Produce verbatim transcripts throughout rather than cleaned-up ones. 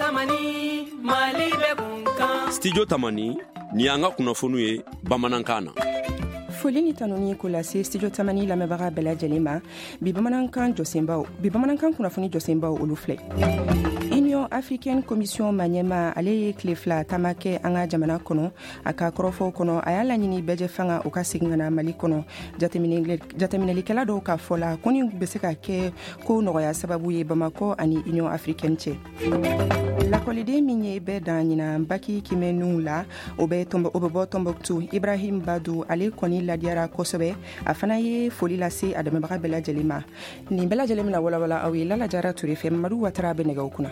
Tamani, Mali bɛ kunkan. Studio Tamani, ni y'an ka kunnafoniw ye bamanankan na. Foli ni tanuni ko lase Studio Tamani lamɛnbaga bɛɛ lajɛlen ma. Bi bamanankan jɔsenbaw, bi bamanankan kunnafoni jɔsenbaw, olu filɛ. Union Africaine Commission maɲɛma, ale ye tile fila taama kɛ an ka jamana kɔnɔ. A ka kɔrɔfɔw kɔnɔ, a y'a laɲini bɛɛjɛ fanga o ka segin ka na Mali kɔnɔ. Jateminɛlikɛla dɔw ka fɔ la, ko nin bɛ se ka kɛ ko nɔgɔya sababu ye Bamakɔ ani Union Africaine cɛ. Lakɔliden min ye bɛɛ dan ɲinan baki kimɛniw la, o bɛ o bɛ bɔ Tɔnbɔkutu, Ibrahim Badu, ale kɔni ladiyara kosɛbɛ. A fana ye foli lase a dɛmɛbaga bɛɛ lajɛlen ma. Nin bɛɛ lajɛlen bɛna walawala aw ye Lala Jara Ture fɛ. Mamadu Watara bɛ nɛgɛw kunna.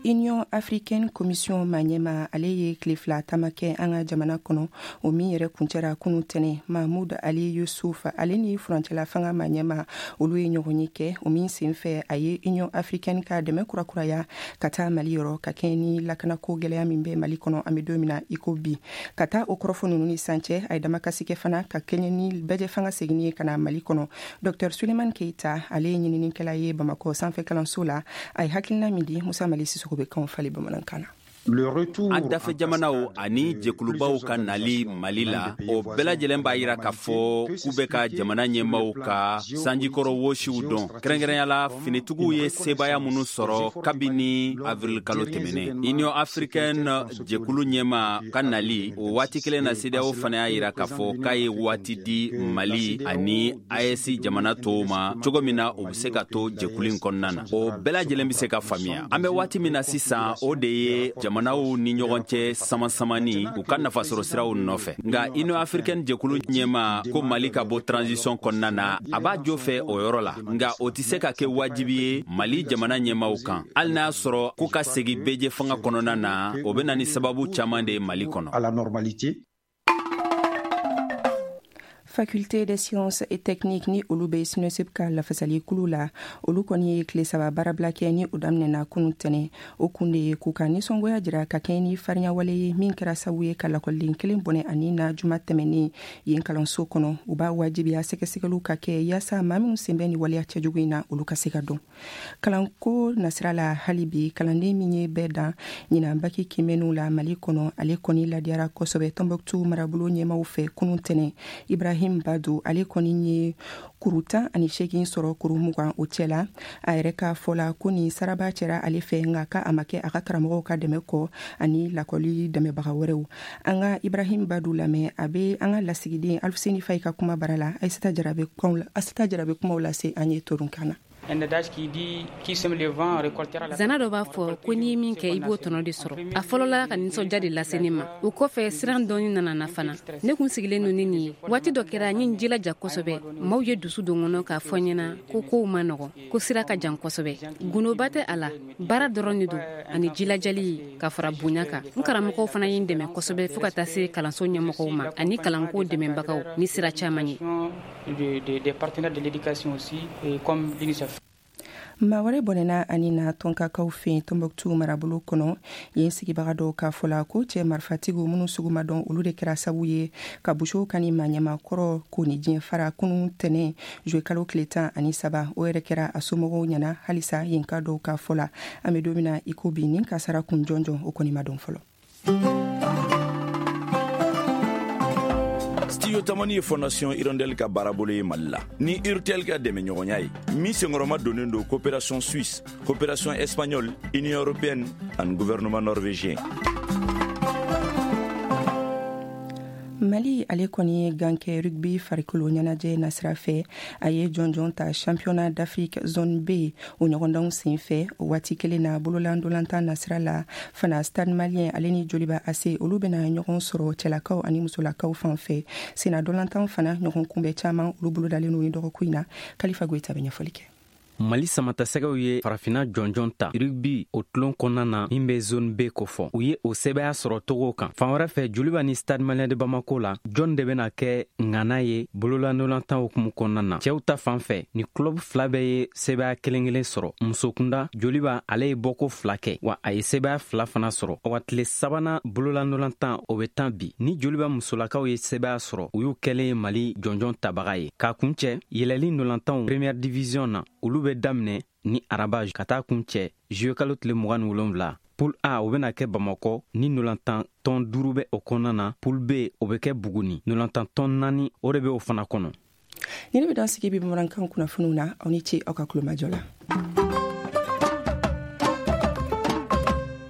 Union Africaine Commission maɲɛma, ale ye tile fila taama kɛ an ka jamana kɔnɔ, o min yɛrɛ kuncɛra kunu tɛnɛ. Mahmoud Ali Youssouf, ale ni furancɛla fanga maɲɛma, olu ye ɲɔgɔn ye kɛ, o min senfɛ a ye Union Africaine ka dɛmɛ kurakuraya ka taa Mali yɔrɔ, ka kɛ ni lakanako gɛlɛya min bɛ Mali kɔnɔ an bɛ don min na i ko bi. Ka taa o kɔrɔfɔ ninnu ni san cɛ, a ye damakasi kɛ fana ka kɛɲɛ ni bɛɛjɛ fanga seginni ye ka na Mali kɔnɔ. Docteur Suleiman Keita, ale ye ɲininikɛla ye Bamakɔ sanfɛ kalanso la, a ye hakilina min di, Musa Mali Sisoko bɛ kanw falen bamanankan na. An dafɛ jamanaw ani jɛkulubaw ka nali Mali la, o bɛɛ lajɛlen b'a yira k'a fɔ k'u bɛ ka jamana ɲɛmaw ka sanjikɔrɔ wosiw dɔn, kɛrɛnkɛrɛnya la finitigiw ye sebaaya minnu sɔrɔ kabini avril kalo tɛmɛnen. Union Africaine jɛkulu ɲɛma ka nali o waati kelen na, CEDEAO fana y'a yira k'a fɔ k'a ye waati di Mali ani A E S jamana tɔw ma, cogo min na u bɛ se ka to jɛkulu in kɔnɔna na. O bɛɛ lajɛlen bɛ se ka faamuya. An bɛ waati min na sisan, o de ye jamanaw ni ɲɔgɔn cɛ sama-samani u ka nafasɔrɔ siraw nɔfɛ. Nka Union Africaine jɛkulu ɲɛma ko Mali ka bɔ transition kɔnɔna na, a b'a jo fɛ o yɔrɔ la, nka o tɛ se ka kɛ wajibi ye Mali jamana ɲɛmaw kan. Hali n'a sɔrɔ k'u ka segin bɛɛjɛ fanga kɔnɔna na, o bɛ na ni sababu caman de ye Mali kɔnɔ. Faculté des sciences et techniques, ni olu bɛ SYNESUP ka lafasali kulu la, olu kɔni ye tile saba baarabila kɛ, ni o daminɛna kunu tɛnɛ. O kun de ye k'u ka nisɔngoya jira ka kɛ ni farinyawale ye min kɛra sababu ye ka lakɔliden kelen bɔnɛ ani na juma tɛmɛnen yen kalanso kɔnɔ. U b'a wajibiya sɛgɛsɛgɛliw ka kɛ yaasa maa minnu sen bɛ ni waleya cɛjugu in na, olu ka se ka dɔn. Kalanko nasira la hali bi, kalanden min ye bɛɛ dan ɲinan baki kimɛniw la Mali kɔnɔ, ale kɔni ladiyara kosɛbɛ Tɔnbɔkutu marabolo ɲɛmaw fɛ kunu tɛnɛ. Ibrahim Badu, ale kɔni ye kuru tan ani seegin sɔrɔ kuru mugan o cɛ la. A yɛrɛ ka fɔ la, ko nin saraba cɛra ale fɛ, nka ka a ma kɛ a ka karamɔgɔw ka dɛmɛ kɔ ani lakɔli dɛmɛbaga wɛrɛw. An ka Ibrahim Badu lamɛn, a bɛ an ka lasigiden Alfuseni Fayi ka kuma bara la. Ayisata Jara Asita Jara bɛ kumaw lase an ye torunkan na. Zana dɔ b'a fɔ ko n'i ye min kɛ, i b'o tɔnɔ de sɔrɔ. A fɔlɔla ka nisɔndiya de lase ne ma, o kɔfɛ siran dɔɔni nana na fana. Ne kun sigilen don ni nin ye. Waati dɔ kɛra, n ye n jilaja kosɛbɛ. Maaw ye dusu don kɔnɔ k'a fɔ ɲɛna ko kow ma nɔgɔn, ko sira ka jan kosɛbɛ. Gundoba tɛ a la, baara dɔrɔn de don ani jilajali ka fara bonya kan. N karamɔgɔw fana ye n dɛmɛ kosɛbɛ, fɔɔ ka taa se kalanso ɲɛmɔgɔw ma ani kalanko dɛmɛbagaw ni sira caman ye. Maa wɛrɛ bɔnɛna ani na tɔnkakaw fɛ Tɔnbɔkutu marabolo kɔnɔ. Yen sigibaga dɔw k'a fɔ la ko cɛ marifatigiw minnu sugu ma dɔn, olu de kɛra sababu ye ka Busow ka ni maa ɲɛmakɔrɔ ko ni diɲɛ fara kunun tɛnɛ juillet kalo tile tan ani saba. O yɛrɛ kɛra a somɔgɔw ɲɛna halisa yen ka dɔw k'a fɔ la. An bɛ don min na i ko bi, nin kasara kun jɔnjɔn, o kɔni ma dɔn fɔlɔ. Studio Tamani ye Fondation Hirondelle ka baarabolo ye Mali la ni Urtel ka dɛmɛɲɔgɔnya ye, min senkɔrɔma donnen don coopération suisse, coopération espagnole, Union européenne ani gouvernement norvégien. Mali, ale kɔni ye gan kɛ rugby farikolo ɲɛnajɛ nasira fɛ. A ye jɔnjɔn ta Championnat d'Afrique zone B o ɲɔgɔndanw sen fɛ. O waati kelen na, bololandolantan nasira la fana, Stade Malien ale ni Joliba A C, olu bɛna ɲɔgɔn sɔrɔ cɛlakaw ani musolakaw fan fɛ. Senna dolantan fana, ɲɔgɔn kunbɛ caman, olu bolodalen don ni dɔgɔkun in na. Kalifa Goyita bɛ ɲɛfɔli kɛ. Mali samatasɛgɛw ye farafina jɔnjɔn ta rugby o tulon kɔnɔna na min bɛ zone B kofɔ. U ye o sɛbɛya sɔrɔ togo kan. Fan wɛrɛ fɛ, Joliba ni Stade Malien de Bamako la, jɔn de bɛna kɛ ŋana ye bololandolantan hukumu kɔnɔna na? Cɛw ta fan fɛ, ni club fila bɛɛ ye sɛbɛya kelen kelen sɔrɔ. Musokunda, Joliba ale ye bɔko fila kɛ, wa a ye sɛbɛya fila fana sɔrɔ. Wa tile sabanan bololandolantan, o bɛ tan bi. Ni Joliba musolakaw ye sɛbɛya sɔrɔ, u y'u kɛlen ye Mali jɔnjɔn tabaga ye. K'a kuncɛ, yɛlɛli ndolantanw première division na, olu bɛ daminɛ ni araba ka taa kuncɛ juillet kalo tile mugan ni wolonwula. Poule A, o bena kɛ Bamakɔ ni nolantan tɔn duuru bɛ o kɔnɔna na. Poule B, o bɛ kɛ Buguni, nolantan tɔn naani o de bɛ o fana kɔnɔ. Ni ne bɛ dan sigi bi bamanankan kunnafoniw na. Aw ni ce aw ka kulomajɔ la.